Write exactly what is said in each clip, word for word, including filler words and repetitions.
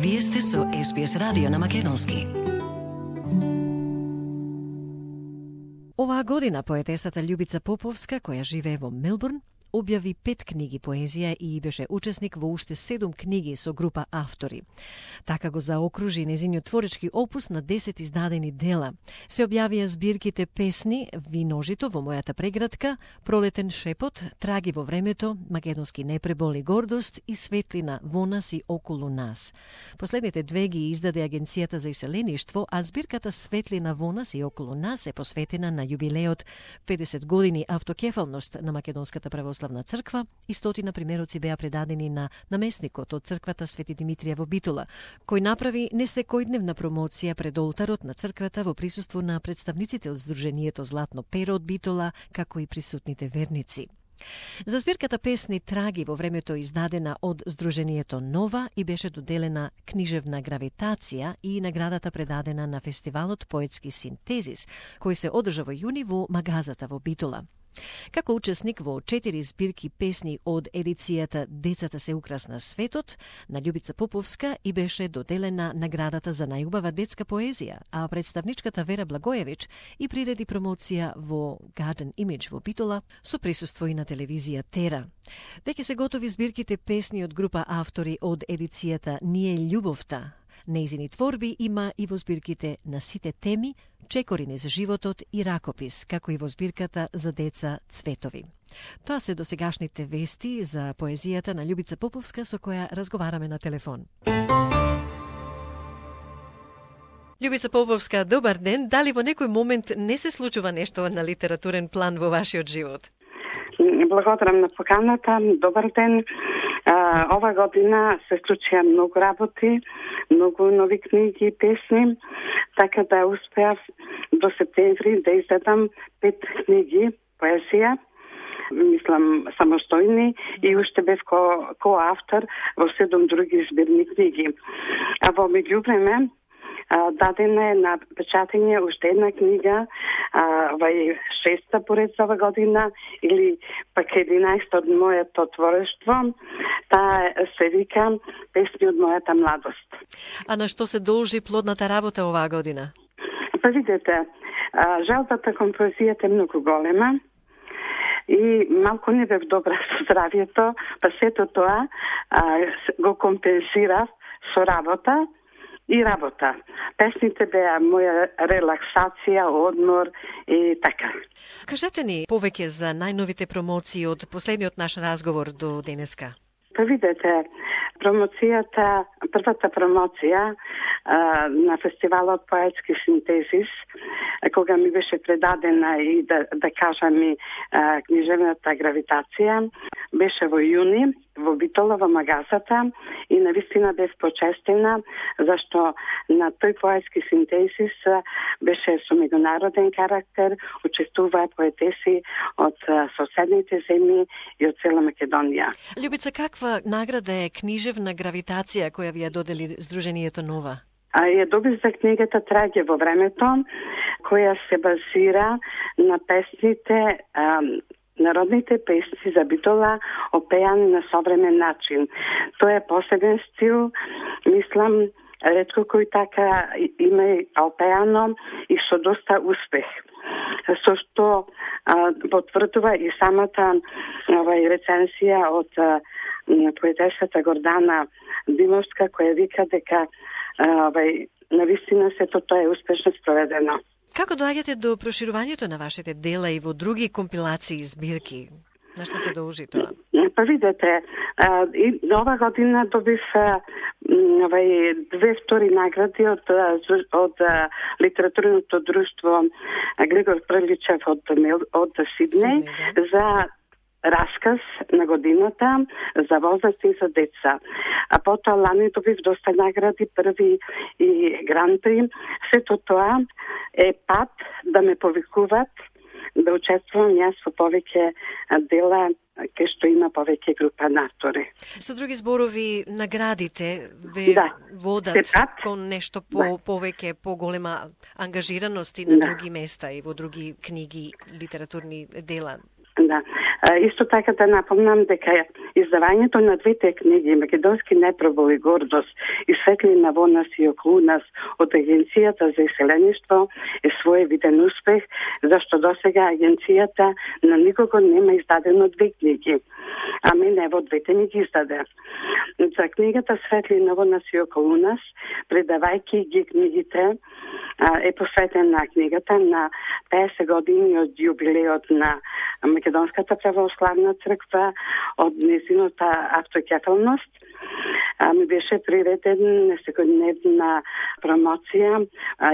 Вие сте со Ес Би Ес радио на македонски. Оваа година поетесата Љубица Поповска, која живее во Мелбурн, објави пет книги поезија и беше учесник во уште седум книги со група автори. Така го заокружи незиниот творечки опус на десет издадени дела. Се објавија збирките песни Виножито во мојата преградка, Пролетен шепот, Траги во времето, Македонски непреболи гордост и Светлина во нас и околу нас. Последните две ги издаде Агенцијата за иселеништво, а збирката Светлина во нас и околу нас е посветена на јубилеот педесет години автокефалност на Македонската православна црква и стотина примероци беа предадени на намесникот од црквата Свети Димитрија во Битола, кој направи несекојдневна промоција пред олтарот на црквата во присуство на представниците од Сдруженијето Златно перо од Битола, како и присутните верници. За збирката песни Траги во времето издадена од Сдруженијето Нова и беше доделена книжевна гравитација и наградата предадена на фестивалот Поетски синтезис, кој се одржа во јуни во Магазата во Битола. Како учесник во четири збирки песни од едицијата Децата се украсна светот, на Љубица Поповска и беше доделена наградата за најубава детска поезија, а представничката Вера Благоевич и приреди промоција во Garden Image во Битола со присуство и на телевизија Тера. Веќе се готови збирките песни од група автори од едицијата Ние љубовта. Нејзини творби има и во збирките На сите теми, Чекорини за животот и Ракопис, како и во збирката за деца Цветови. Тоа се досегашните вести за поезијата на Љубица Поповска со која разговараме на телефон. Љубица Поповска, добар ден. Дали во некој момент не се случува нешто на литературен план во вашиот живот? Благодарам на поканата. Добар ден. А, ова година се случија многу работи, многу нови книги и песни, така да успеав до септември да издадам пет книги поезија, мислам самостојни, и уште бев ко, коавтор во седум други збирни книги. А во меѓувреме дадена е на печатење уште една книга, вај шеста поред за ова година, или пак единаесета од моето творештво. Таа се вика Песни од мојата младост. А на што се должи плодната работа оваа година? Па видете, жалбата кон поезијата е многу голема и малку не бев добра со здравието, па сето тоа го компенсирав со работа и работа. Песните беа моја релаксација, одмор и така. Кажете ни повеќе за најновите промоции од последниот наш разговор до денеска. Па видете, промоцијата, првата промоција а, на фестивалот Поетски синтезис, кога ми беше предадена и да, да кажам и а, книжевната гравитација, беше во јуни во Битола во Магазата и навистина бев почестена зашто на тој поетски синтезис беше со меѓународен карактер, учествуваа поетеси од соседните земји и од цела Македонија. Љубица, каква награда е книжевна гравитација која ви ја додели Сдруженијето Нова? А ја добив за книгата Траги во времето, која се базира на песните а, народните песни за Битола, опеани на современ начин. Тоа е посебен стил, мислам, ретко кој така има опеано и со доста успех. Со што а, потврдува и самата овај рецензија од а, поетесата Гордана Димовска, која вика дека овај навистина сето тоа е успешно спроведено. Како доаѓате до проширувањето на вашите дела и во други компилации и збирки? На што се должи тоа? Па видете, а, и ова година добив а, овај две втори награди од од литературното друштво Григор Приличев од од Сиднеј за расказ на годината за возраст и за деца. А потоа лани добив доста награди, први и гран-при. Сето тоа е пат да ме повикуваат да учествувам јас во повеќе дела кај што има повеќе група на автори. Со други зборови, наградите ве да. водат Сепат, кон нешто по да. повеќе поголема ангажираност и на да. други места и во други книги, литературни дела. Да. Исто така да напомнам дека издавањето на двете книги Македонски непробол и гордост и Светлина во нас и околу нас од Агенцијата за иселеништво е своевиден успех, зашто досега агенцијата на никого нема издадено две книги. А мене во двете ми ги издаде. За книгата Светлина во нас и околу нас, предавајќи ги книгите, е посветена книгата на песет години од јубилеот на Македонската православна црква, од незината автокефалност. Ми беше приведен несекојдневна промоција,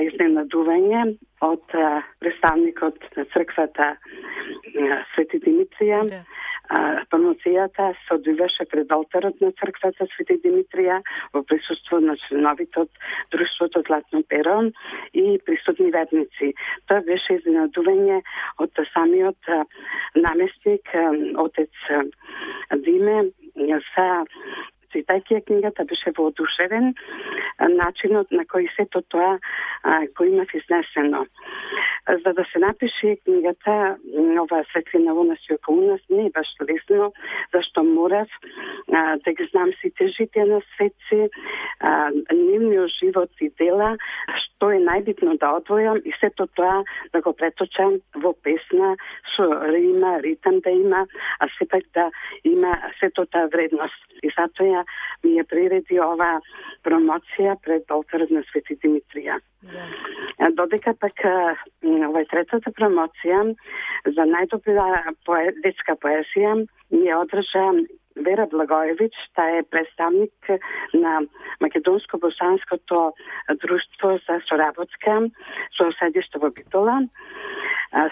изненадување од представникот на црквата Свети Димитрија. Да. Промоцијата се одвиваше пред олтарот на црквата Свети Димитрија во присуство на членовите од Друштвото Златно перо и присутни верници. Тоа беше изненадување од самиот наместник, отец Диме, за читајќи книгата беше воодушевен начинот на кој сето тоа го имав изнесено. За да се напише книгата ова Светлина во нас и околу нас не е баш лесно, зашто морав а, да ги знам сите житија на светци, нивниот живот и дела, што е најбитно да одвојам и сето тоа да го преточам во песна, со рима, ритам да има, а сепак да има сето таа вредност. И затоа ми ја приреди ова промоција пред олтарот на Свети Димитрија. Yeah. Додека пак ова третата промоција за најдобра пое, детска поезија ми ја одржа Вера Благоевич, таа е представник на Македонско-босанското друштво за соработка со седиште во Битола.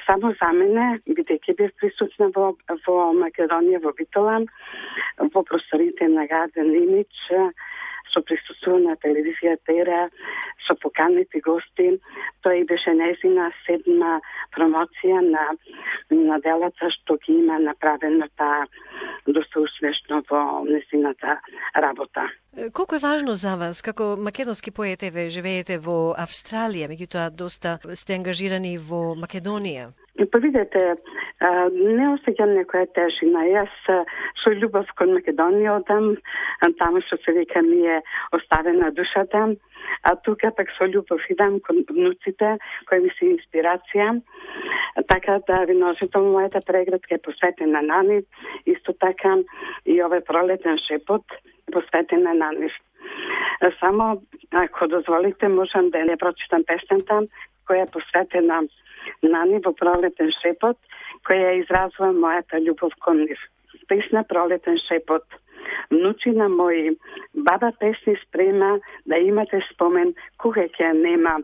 Само за мене, бидејќи бев присутна во, во Македонија, во Битола, во просторите на Гаден Имидж, со присуство на телевизија Тера, со поканети гости. Тоа и беше нејзина седма промоција на, на делата што ги има направено таа доста успешно во нејзината работа. Колку е важно за вас, како македонски поет, еве живеете во Австралија, меѓутоа доста сте ангажирани во Македонија? Па видете, не осеќам некоја тежина. Јас со љубов кон Македонија одам, таму што се вика ми е оставена душата, а тука пак со љубов идам кон внуците, кои ми се инспирација. Така да виножител мојата преградка е посветена на нив, исто така и овој пролетен шепот посветена на нив. Само, ако дозволите, можам да ја прочитам песната која е посветена на нив во пролетен шепот, која изразува мојата љубов кон нив. Песна Пролетен шепот. Внучина мои, баба песни спрема, да имате спомен кога ќе нема.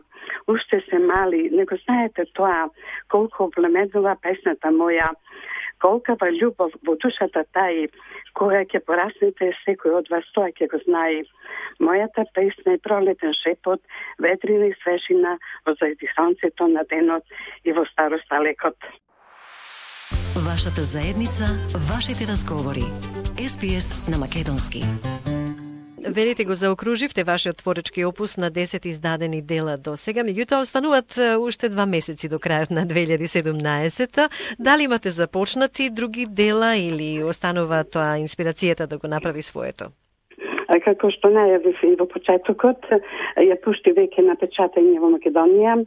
Уште се мали, не го знаете тоа, колку облемедува песната моја, колкава љубов во душата таи, кога ќе пораснете секој од вас тоа ќе го знае. Мојата песна е пролетен шепот, ветрина и свежина во зајди сонцето на денот и во старост далекот. Вашата заедница, вашите разговори. Ес Би Ес на македонски. Велите го заокруживте вашиот творечки опус на десет издадени дела до сега, меѓутоа остануваат уште два месеци до крајот на две илјади и седумнаесета. Дали имате започнати други дела или останува тоа инспирацијата да го направи своето? Како што најавив и во почетокот, ја пушти веќе на печатање во Македонија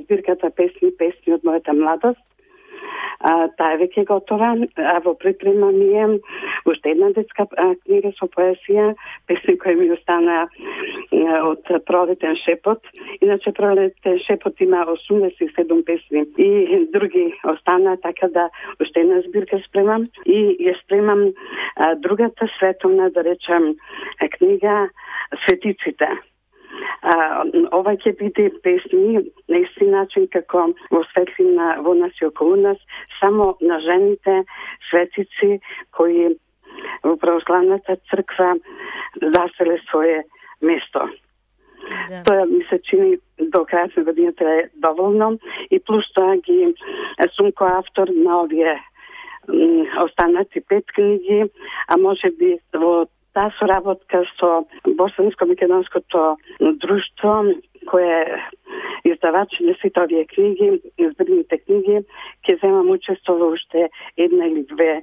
збирката песни песни од мојата младост. А, таа е веќе готова, а во припрема ми е уште една детска а, книга со поезија, песни кои ми остана од Пролетен шепот. Иначе Пролетен шепот има осумдесет и седум песни и други остана, така да уште една збирка спремам и ја спремам а, другата световна, да речем, книга Светиците. А, ова ќе биде песни на исти начин како во Светлина во нас и околу нас, само на жените светици кои во православната црква заселе свое место. Да. Тоа ми се чини до крајот на годината е доволно и плюс тоа ги сум коавтор на овие останати пет книги, а може би во таа соработка со Босанско-македонското друштво, кое издавачи на сите овие книги, избраните книги, ќе земам учество во уште една или две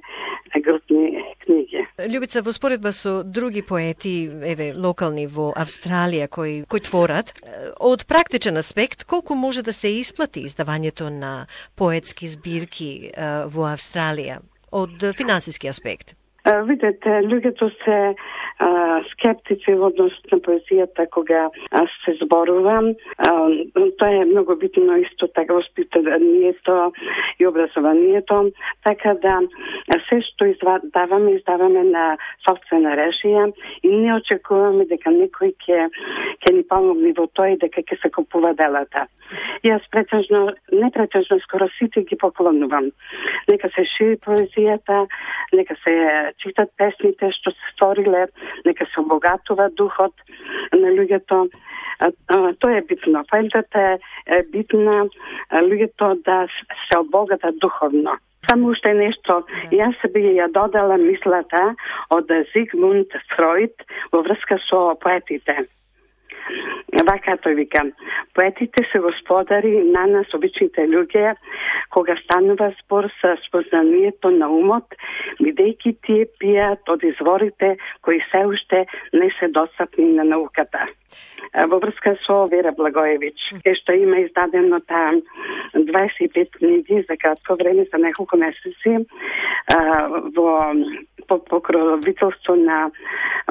групни книги. Љубица, во споредба со други поети, еве, локални во Австралија кои кои творат, од практичен аспект, колку може да се исплати издавањето на поетски збирки во Австралија од финансиски аспект? Видете, луѓето се а, скептици во однос на поезијата кога а, се зборува. А, тоа е многу битно исто така воспитанието и образованието, така да се што издаваме, издаваме на собствена режија и не очекуваме дека некој ќе ќе ни помогне во тоа и дека ќе се купува делата. Јас претежно, не претежно, скоро сите ги поклонувам. Нека се шири поезијата, нека се читат песните што се створиле, нека се обогатува духот на луѓето. Тоа е битно. Поентата е, е битна луѓето да се обогатат духовно. Само уште нешто, јас би ја додала мислата од Зигмунд Фройд во врска со поетите. Вака тој вика, поетите се господари на нас, обичните луѓе, кога станува спор со спознанието на умот, бидејќи тие пијат од изворите кои се уште не се достапни на науката. Во врска со Вера Благоевич, е што има издадено таа дваесет и пет книги за кратко време, за неколку месеци, во по покровителство на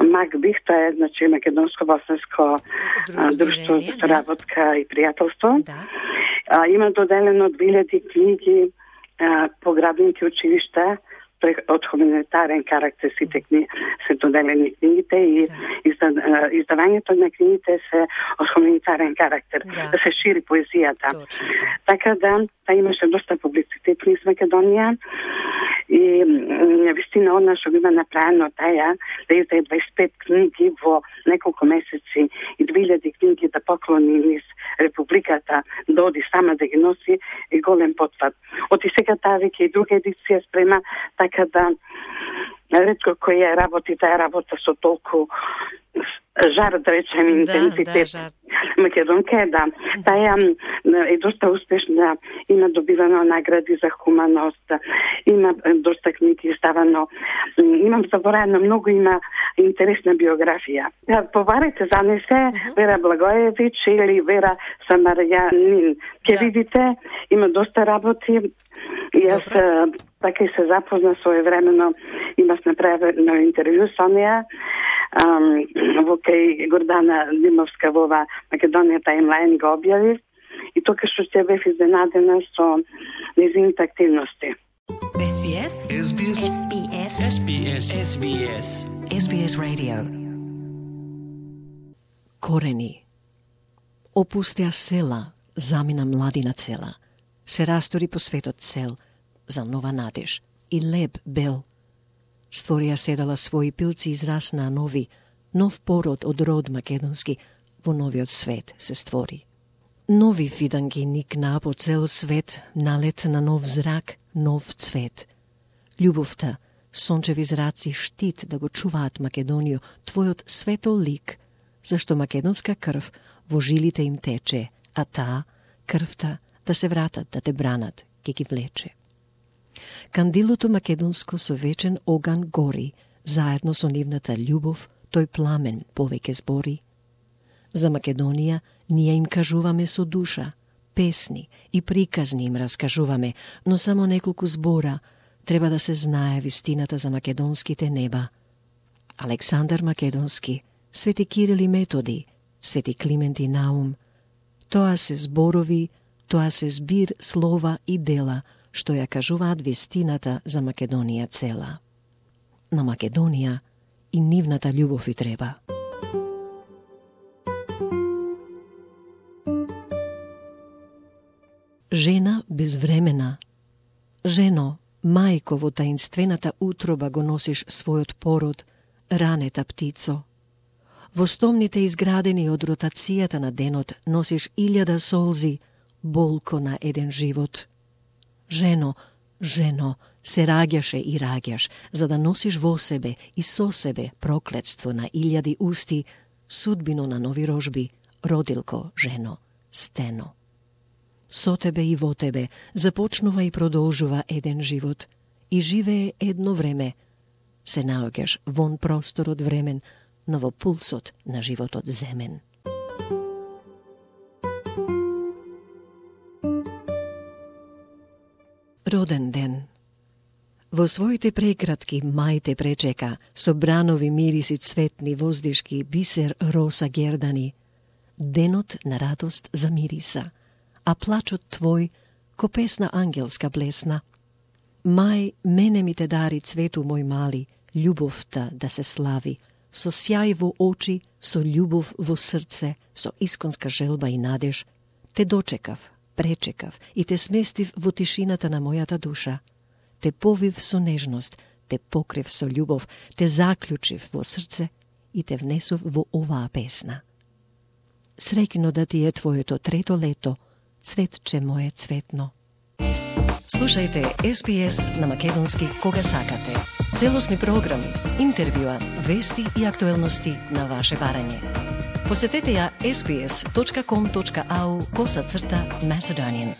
МАГБИХ, тоа е, значи, Македонско-Боснанско друштво за соработка и пријателство. Да. А, има доделено две илјади книги а, по градинки училишта, од хуманитарен карактер сите книги се доделени книгите и изда, издавањето на книгите се од хуманитарен карактер, да, да се шири поезијата. Точно. Така да, та имаше доста публицитет низ Македонија и вистина од нас што има направено таја да издаде дваесет и пет книги во неколку месеци и две илјади книги да поклони низ Републиката, да оди сама да ги носи и голем потфат. Од и сега таа веќе и друга едиција спрема, така да ретко кој ја работи таа работа со толку жар, да речем, интензитет. Да, да, Македонка е, да. Таја е доста успешна, има добивано награди за хуманост, има доста книги издавано, имам забораено многу, има интересна биографија. Побарете за не се Вера Благоевич или Вера Самарјанин. Ке видите, има доста работи. И јас така и се запозна своевремено, имав направено интервју со неа во кај Гордана Димовска во Македонија Таймлайн го објави и тока што ќе бев изненадена со нејзините активности. Ес Би Ес Ес Би Ес Ес Би Ес Ес Би Ес Ес Би Ес Ес Би Ес Radio. Корени. Опустеа села, замина младина цела. Се растори по светот цел за нова надеж и леп бел. Створија седала своји пилци израсна нови, нов пород од род македонски во новиот свет се створи. Нови виданги никна по цел свет, налет на нов зрак, нов цвет. Љубовта, сончеви зраци штит да го чуваат Македонију, твојот светол лик, зашто македонска крв во жилите им тече, а таа, крвта, да се вратат, да те бранат, ке ги влече. Кандилото македонско со вечен оган гори, заедно со нивната љубов, тој пламен повеќе збори. За Македонија ние им кажуваме со душа, песни и приказни им раскажуваме, но само неколку збора треба да се знае вистината за македонските неба. Александар Македонски, Свети Кирил и Методи, Свети Климент и Наум, тоа се зборови, тоа се збир слова и дела, што ја кажуваат вистината за Македонија цела. На Македонија и нивната љубов и треба. Жена безвремена. Жено, мајко, во таинствената утроба го носиш својот пород, ранета птицо. Во стомните изградени од ротацијата на денот носиш илјада солзи, болко на еден живот. Жено, жено, се раѓаше и раѓаш, за да носиш во себе и со себе проклетство на илјади усти, судбино на нови рожби, родилко, жено, стено. Со тебе и во тебе започнува и продолжува еден живот и живее едно време. Се наоѓаш вон просторот времен, но во пулсот на животот земен. Роден ден. Во своите прекратки мај те пречека, со бранови мириси цветни, воздишки, бисер, роса, гердани. Денот на радост замириса, а плачот твој ко песна ангелска блесна. Мај, мене ми те дари цвету мој мали, љубовта да се слави, со сјај во очи, со љубов во срце, со исконска желба и надеж, те дочекав, пречекав и те сместив во тишината на мојата душа. Те повив со нежност, те покрив со љубов, те заклучив во срце и те внесов во оваа песна. Среќно да ти е твоето трето лето, цветче мое цветно. Слушајте Ес Би Ес на македонски кога сакате. Целосни програми, интервјуа, вести и актуелности на ваше барање. Посетете ја ес би ес точка ком точка ау косацрта Macedonian.